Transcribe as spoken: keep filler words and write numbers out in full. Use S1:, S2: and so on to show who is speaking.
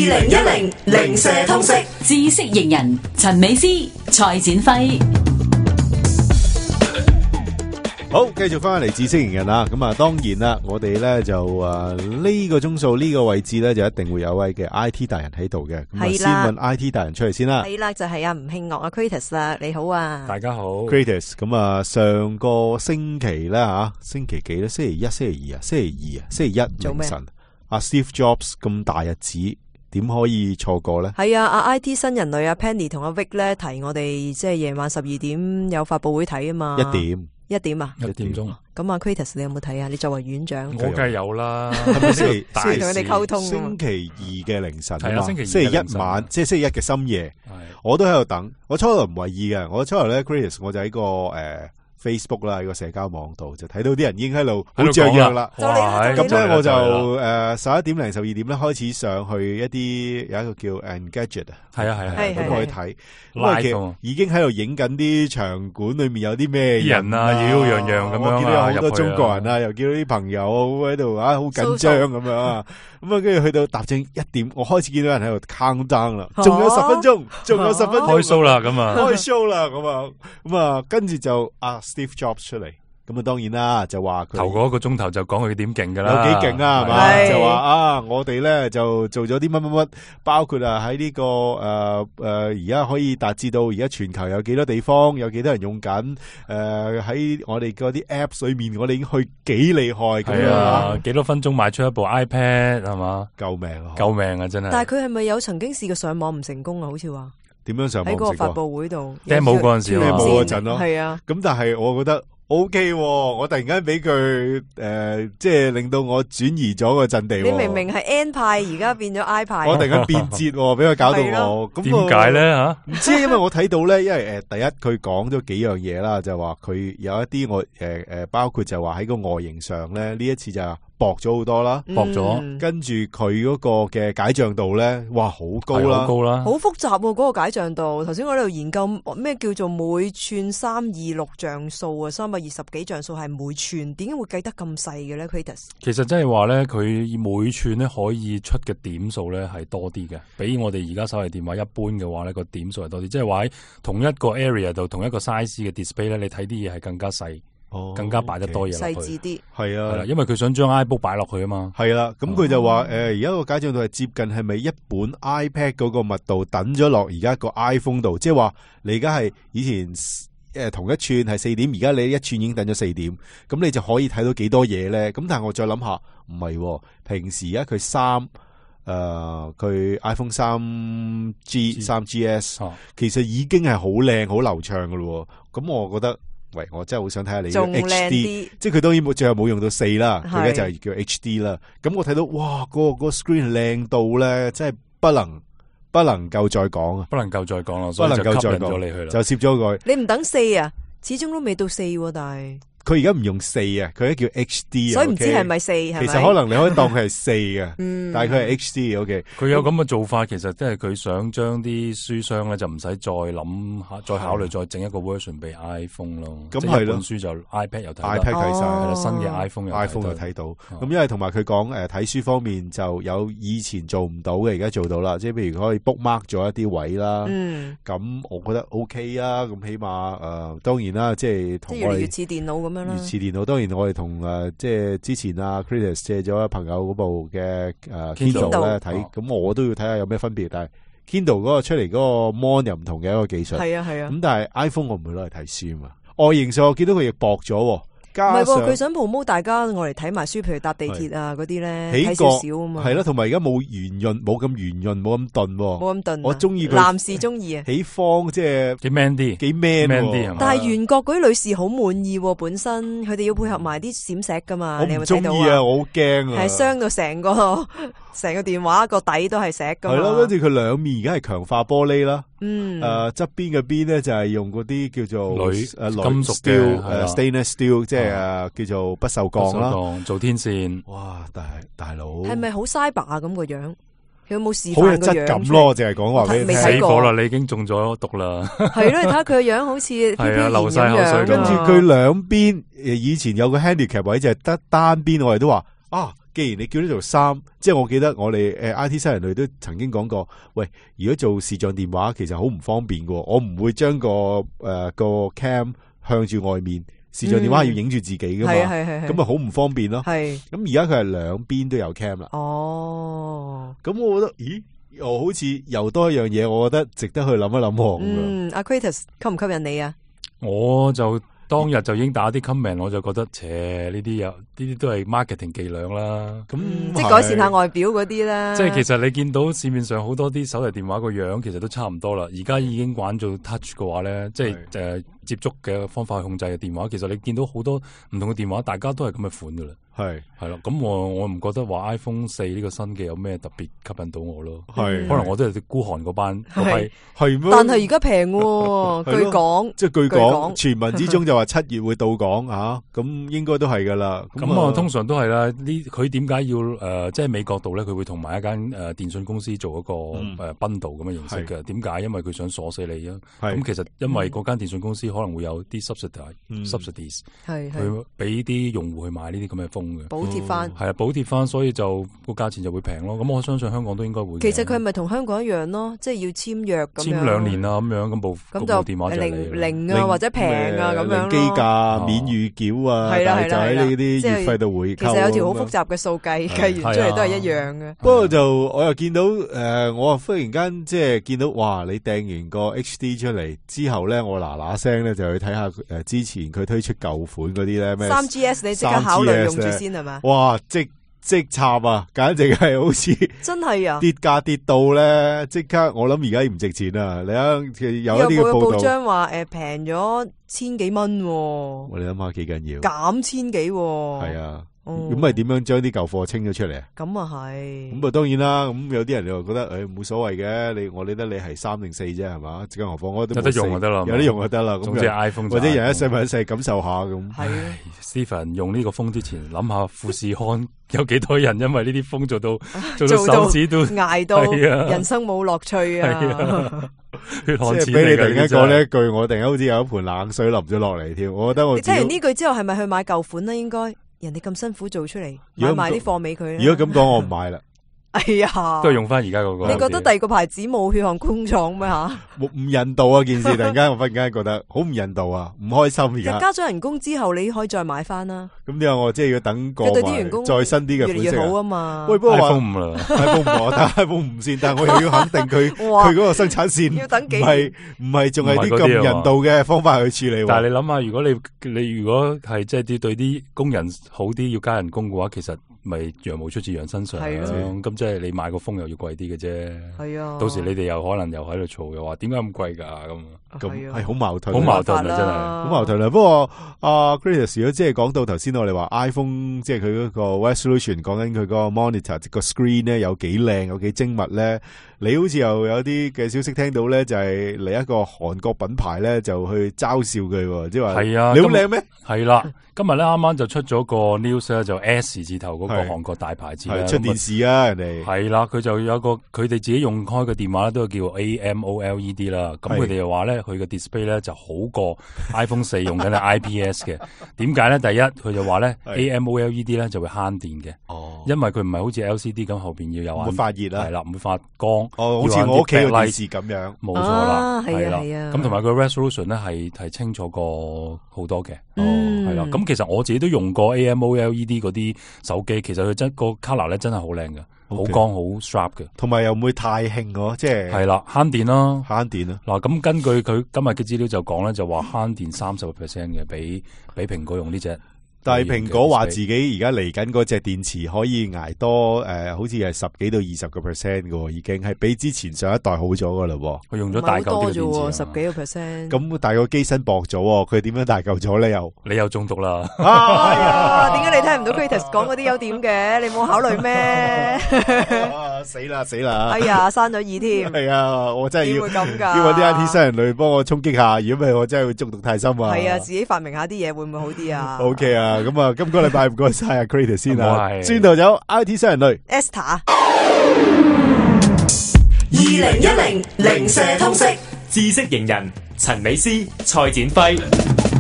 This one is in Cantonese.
S1: 零一零零舍通識
S2: 知識型人陳美詩、蔡展輝。
S3: 好，繼續翻嚟知識型人啦。咁啊，當然啦，我哋咧就誒呢個鐘數呢個位置咧，就一定會有位嘅 I T 大人喺度嘅。咁啊，先問 I T 大人出嚟先啦。
S4: 係啦，就係阿吳慶樂啊 Kratos 啦，你好啊，
S5: 大家好
S3: Kratos。咁啊，上個星期咧吓，星期幾咧？星期一、星期二啊？星期二啊？星期一凌晨，阿 Steve Jobs 咁大日子，點可以錯過咧？
S4: 係啊，阿 I T 新人類阿 Penny 同阿 Vic 咧提我哋，即係夜晚十二點有發佈會睇啊嘛。
S3: 一點。
S4: 一點啊，
S5: 一點鐘。
S4: 咁啊 Kratos 你有冇睇啊？你作為院長，
S5: 我梗係有啦。
S3: 係咪星期
S4: 先同佢哋溝通？
S3: 星期二嘅凌晨
S5: 係啊，星期
S3: 星期一晚，即係星期一嘅深夜，我都喺度等。我初頭唔為意嘅，我初頭咧 Kratos 我就喺個誒 Facebook 啦，喺個社交網度就睇到啲人已經喺度好雀躍啦。咁咧我就誒十一點零十二點咧開始上去一啲有一個叫 Engadget 啊，
S5: 係啊係啊，
S3: 咁我去睇，因為其實已經喺度影緊啲場館裏面有啲咩
S5: 人啊，妖樣樣咁樣啊，
S3: 我見到有好多中國人啊，又見到啲朋友喺度啊，好緊張咁樣啊，咁啊跟住去到踏正一點，我開始見到人喺度 count down 啦，仲有十分鐘，仲有十分鐘
S5: 開 show 啦咁啊，
S3: 開 show 啦咁啊，咁啊跟住就啊 Steve Jobs 出嚟。咁啊，當然啦，就話佢
S5: 頭嗰一個鐘頭就講佢點勁噶啦，
S3: 有幾勁啊，係嘛？就話啊，我哋咧就做咗啲乜乜乜，包括啊喺呢個誒誒而家可以達至到而家全球有幾多地方，有幾多人用緊誒喺我哋嗰啲 apps 裏面，我哋已經去幾厲害咁樣，
S5: 幾多分鐘賣出一部 iPad 係嘛？
S3: 救命啊！
S5: 救命啊！真係。
S4: 但係佢係咪有曾經試過上網唔成功啊？好似話
S3: 點樣上網唔成功？
S4: 喺個發佈會度
S5: demo 嗰陣時
S3: ，demo 嗰陣咯，
S4: 係啊。
S3: 咁但係我覺得。O K， 我突然間俾佢誒，即係令到我轉移咗個陣地。
S4: 你明明係 N 派，而家變咗 I 派。
S3: 我突然間變節，俾佢搞到我。咁
S5: 點解咧吓？
S3: 唔知，因為我睇到咧，因為誒，第一佢講咗幾樣嘢啦，就話佢有一啲我誒誒，包括就話喺個外形上咧，呢一次就薄咗好多啦，
S5: 薄咗。
S3: 跟住佢嗰個嘅解像度咧，哇，好高啦，
S5: 好高啦，
S4: 好複雜嗰個解像度。頭先我喺度研究咩叫做每寸三二六像素啊，三百二十幾像素係每寸，點解會計得咁細嘅咧 Kratos？
S5: 其實即係話咧，佢每寸咧可以出嘅點數咧係多啲嘅，比我哋而家手提電話一般嘅話咧個點數係多啲，即係話喺同一個 area 度同一個 size 嘅 display 咧，你睇啲嘢係更加細。哦、更加擺得多嘢落去，
S4: 細緻啲，
S3: 係啊，
S5: 係啦，因為佢想將 iBook 擺落去啊嘛，
S3: 係啦，咁佢就話誒，而家個解像度係接近係咪一本 iPad 嗰個密度等咗落而家個 iPhone 度，即係話你而家係以前誒、呃、同一寸係四點，而家你一寸已經等咗四點，咁你就可以睇到幾多嘢咧？咁但係我再諗下，唔係，平時而家佢三誒佢 iPhone 三 G 三 G S，、哦、其實已經係好靚好流暢噶咯，咁我覺得。喂，我真係好想睇下你嘅 H D， 即係佢當然冇最後冇用到四啦，佢而家就係叫 H D 啦。咁我睇到哇，嗰、嗰個、嗰個 screen 靚到咧，真係不能不能夠再講啊，
S5: 不能夠再講啦，
S3: 不能夠再講
S5: 咗你去啦，
S3: 就攝咗佢。
S4: 你唔等四啊，始終都未到四、啊，但係。
S3: 佢而家唔用四啊，佢而家叫 H D 啊，
S4: 所以唔知係咪四，係咪？
S3: 其實可能你可以當佢係四嘅，
S4: 嗯，
S3: 但係佢係 H D，OK。
S5: 佢有咁嘅做法，其實即係佢想將啲書商咧就唔使再諗下，再考慮再整一個 version 俾 iPhone 咯。咁係咯，本書就 iPad 又睇
S3: ，iPad 睇晒，
S5: 係啦，新嘅 iPhone 又
S3: iPhone 又睇到。咁因為同埋佢講誒睇書方面就有以前做唔到嘅，而家做到啦。即係譬如可以 bookmark 咗一啲位啦。
S4: 嗯。
S3: 咁我覺得 OK 啊。咁起碼誒，當然啦，即係同我哋
S4: 越嚟越似電腦咁樣啦。
S3: 越似電腦。當然我哋同誒即係之前啊 Kratos 借咗朋友嗰部嘅誒 Kindle 咧睇，咁我都要睇下有咩分別。但係 Kindle 嗰個出嚟嗰個 mon 又唔同嘅一個技術，
S4: 係啊係啊。咁
S3: 但係 iPhone 我唔會攞嚟睇書嘛。外形上我見到佢亦薄咗。
S4: 唔係喎，佢想 promote大家我嚟睇埋書，譬如搭地鐵啊嗰啲咧，睇少少啊嘛。
S3: 係啦，同埋而家冇圓潤，冇咁圓潤，冇咁鈍，
S4: 冇咁鈍。
S3: 我中意佢。
S4: 男士中意啊。
S3: 起方即係
S5: 幾 man 啲，
S3: 幾 man
S5: 啲。
S4: 但係圓角嗰啲女士好滿意喎，本身佢哋要配合埋啲閃石噶嘛。你有冇睇到啊？
S3: 我唔中意啊，我好驚啊。
S4: 係傷到成個成個電話個底都係石噶嘛。係咯，
S3: 跟住佢兩面而家係強化玻璃啦。
S4: 嗯。
S3: 誒，側邊嘅邊咧就係用嗰啲叫做
S5: 鋁
S3: 誒
S5: 金屬嘅
S3: 誒 stainless steel， 即係誒叫做。不鏽鋼啦，
S5: 做天線。
S3: 哇！大大佬
S4: 係咪好 cyber 啊？咁個樣，佢有冇示範
S3: 好有質感咯？淨係講話俾你聽，
S5: 死火啦！你已經中咗毒啦。
S4: 係咯，你睇下佢個樣好似
S5: 係啊，流晒口水。
S3: 跟住佢兩邊誒，以前有個 handicap 位就係得單邊，我哋都話啊，既然你叫呢做三，即係我記得我哋誒 I T 新人類都曾經講過，喂，如果做視像電話其實好唔方便嘅，我唔會將個誒、呃、個 cam 向住外面，視像電話要影住自己噶嘛，咁咪好唔方便咯。係咁而家佢係兩邊都有 cam 啦。哦，咁我覺得，咦，又好似又多一樣嘢，我覺得值得去諗一諗喎。
S4: 嗯，阿 Kratos 吸唔吸引你啊？
S5: 我就當日就已經打啲 comment，我就覺得，切呢啲有呢啲都係 marketing 伎倆啦。咁、
S4: 嗯、即係改善下外表嗰啲啦。
S5: 即係其實你見到市面上好多啲手提電話個樣，其實都差唔多啦。而家已經玩做 touch 嘅話咧，即係誒接觸嘅方法去控制嘅電話，其實你見到好多唔同嘅電話，大家都係咁嘅款噶啦。係係咯，咁我我唔覺得話 iPhone 四呢個新嘅有咩特別吸引到我咯。係可能我都係孤寒嗰班嗰批
S3: 係咩？
S4: 但係而家平喎，據講
S3: 即係據講傳聞之中就話七月會到港吓，咁應該都係噶啦。
S5: 咁啊，通常都係啦。呢佢點解要誒，即係美國度咧，佢會同埋一間誒電信公司做一個誒 bundle 咁嘅形式嘅。點解？因為佢想鎖死你啊。咁其實因為嗰間電信公司可能會有啲 subsidies，subsidies 係佢俾啲用戶去買呢啲咁嘅風。
S4: 補貼翻
S5: 係啊，補貼翻，所以就個價錢就會平咯。咁我相信香港都應該會。
S4: 其實佢係咪同香港一樣咯？即係要簽約咁樣，
S5: 簽兩年啊咁樣，咁部咁就電話就
S4: 零零啊或者平啊咁樣咯。
S3: 機價免預繳啊，
S4: 係啦係啦，
S3: 就喺呢啲月費度回購。
S4: 其實有條好複雜嘅數計，計完出嚟都係一樣嘅。
S3: 不過就我又見到誒，我忽然間即係見到哇！你訂完個 H D 出嚟之後咧，我嗱嗱聲咧就去睇下誒之前佢推出舊款嗰啲咧咩
S4: 三 G S， 你即刻考慮用住先係嘛？
S3: 哇！即即插啊，簡直係好似
S4: 真係啊！
S3: 跌價跌到咧，即刻我諗而家唔值錢啊！你睇有一啲嘅報道，
S4: 報章話誒平咗千幾蚊，我
S3: 哋諗下幾緊要，
S4: 減千幾，
S3: 係啊。咁咪點樣將啲舊貨清咗出嚟啊？
S4: 咁啊係，
S3: 咁啊當然啦。咁有啲人就覺得誒冇所謂嘅，你我理得你係三定四啫係嘛？更何況我都
S5: 有得用就得啦，
S3: 有得用就得啦。
S5: 總之 iPhone
S3: 或者人一世物一世感受下咁。
S4: 係
S5: Stephen 用呢個風之前諗下富士康有幾多人因為呢啲風做到做到手指都
S4: 捱到，人生冇樂趣啊！
S5: 血汗錢
S3: 即係俾你突然間講呢一句，我突然間好似有一盆冷水淋咗落嚟添。我覺得我
S4: 你聽完呢句之後，係咪去買舊款咧？應該。人哋咁辛苦做出嚟，買埋啲貨俾佢。
S3: 如果咁講，我唔買啦。
S4: 哎呀，
S5: 都係用翻而家嗰個。
S4: 你覺得第二個牌子冇血汗工廠咩吓？
S3: 唔人道啊！件事突然間我忽然間覺得好唔人道啊，唔開心而家。
S4: 加咗人工之後，你可以再買翻啦。
S3: 咁點解我即係要等過
S4: 對啲員工
S3: 再新啲嘅款式
S4: 越嚟越好啊嘛？
S3: 喂，不過話
S5: iPhone 五啦
S3: ，iPhone 五但係 iPhone 五先，但係我又要肯定佢佢嗰個生產線
S4: 要等幾
S3: 唔係唔係仲係啲咁人道嘅方法去處理。
S5: 但係你諗下，如果你你如果係即係啲對啲工人好啲，要加人工嘅話，其實。咪羊毛出自羊身上，咁即係你買個風又要貴啲嘅啫。係啊，到時你哋又可能又喺度嘈，又話點解咁貴噶咁，咁係好矛盾，好矛盾啊，真係好矛盾啊。不過阿 Kratos 如果即係講到頭先我哋話 iPhone，即係佢嗰個 resolution，講緊佢嗰個 monitor 個 screen 咧有幾靚，有幾精密咧。你好似又有啲嘅消息聽到咧，就係嚟一個韓國品牌咧就去嘲笑佢，即係話係啊，你好靚咩？係啦，今日咧啱啱就出咗個 news 咧，就 S 字頭嗰個韓國大牌子咧出電視啊，人哋係啦，佢就有個佢哋自己用開嘅電話咧，都叫 A M O L E D 啦。咁佢哋又話咧，佢嘅 display 咧就好過 iPhone 四用緊嘅 I P S 嘅。點解咧？第一，佢就話咧 A M O L E D 咧就會慳電嘅，哦，因為佢唔係好似 L C D 咁後邊要有會發熱啦，係啦，唔會發光。哦，好似我屋企嘅電視咁樣，冇錯啦，係啦，咁同埋佢 resolution 咧係係清楚過好多嘅，哦，係啦。咁其實我自己都用過 A M O L E D 嗰啲手機，其實佢真個 color 咧真係好靚嘅，好光好 sharp 嘅，同埋又唔會太興喎，即係係啦，慳電啦，慳電啦。嗱，咁根據佢今日嘅資料就講咧，就話慳電三十個 percent 嘅，比比蘋果用呢隻。但係蘋果話自己而家嚟緊嗰隻電池可以捱多誒、呃，好似係十幾到二十個 percent 嘅，已經係比之前上一代好咗噶啦。佢用咗大嚿啲嘅電池，十幾個 percent。咁但係個機身薄咗，佢點樣大嚿咗咧？又你又中毒啦？哎呀，點解你聽唔到 Kratos 講嗰啲優點嘅？你冇考慮咩？死啦死啦！哎呀，生咗耳添。係啊，我真係要咁噶，要搵啲 I T 新人類幫我衝擊下，如果唔係我真係會中毒太深啊。係啊，自己發明下啲嘢會唔會好啲啊 ？OK 啊。咁啊，今個禮拜唔該晒阿 Kratos 先啊，轉頭有 I T 新人類 Esther， 二零一零零舍通識知識型人陳美詩、蔡展輝。